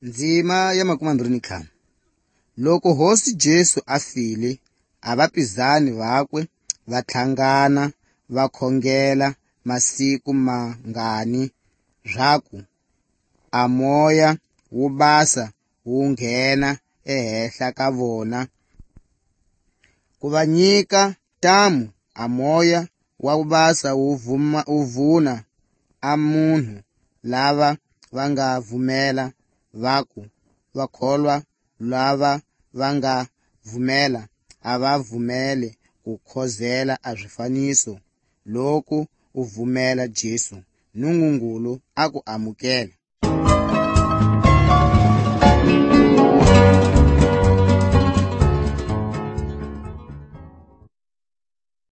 Ndzima ya 25. Loko Hosi Jesu a file, a vapizani vakwe va tlhangana va khongela masiku mangani zwaku a Moya wo basa wu nghena ehenhla ka vona ku va nyika ntamu. A Moya wa ku basa wu vuna a munhu lava va nga vhumela vaku va kholwa, lava va nga vhumela a va vhumele ku khozela a swifaniso. Loko u vhumela Jesu, Nungungulu a ku amukela.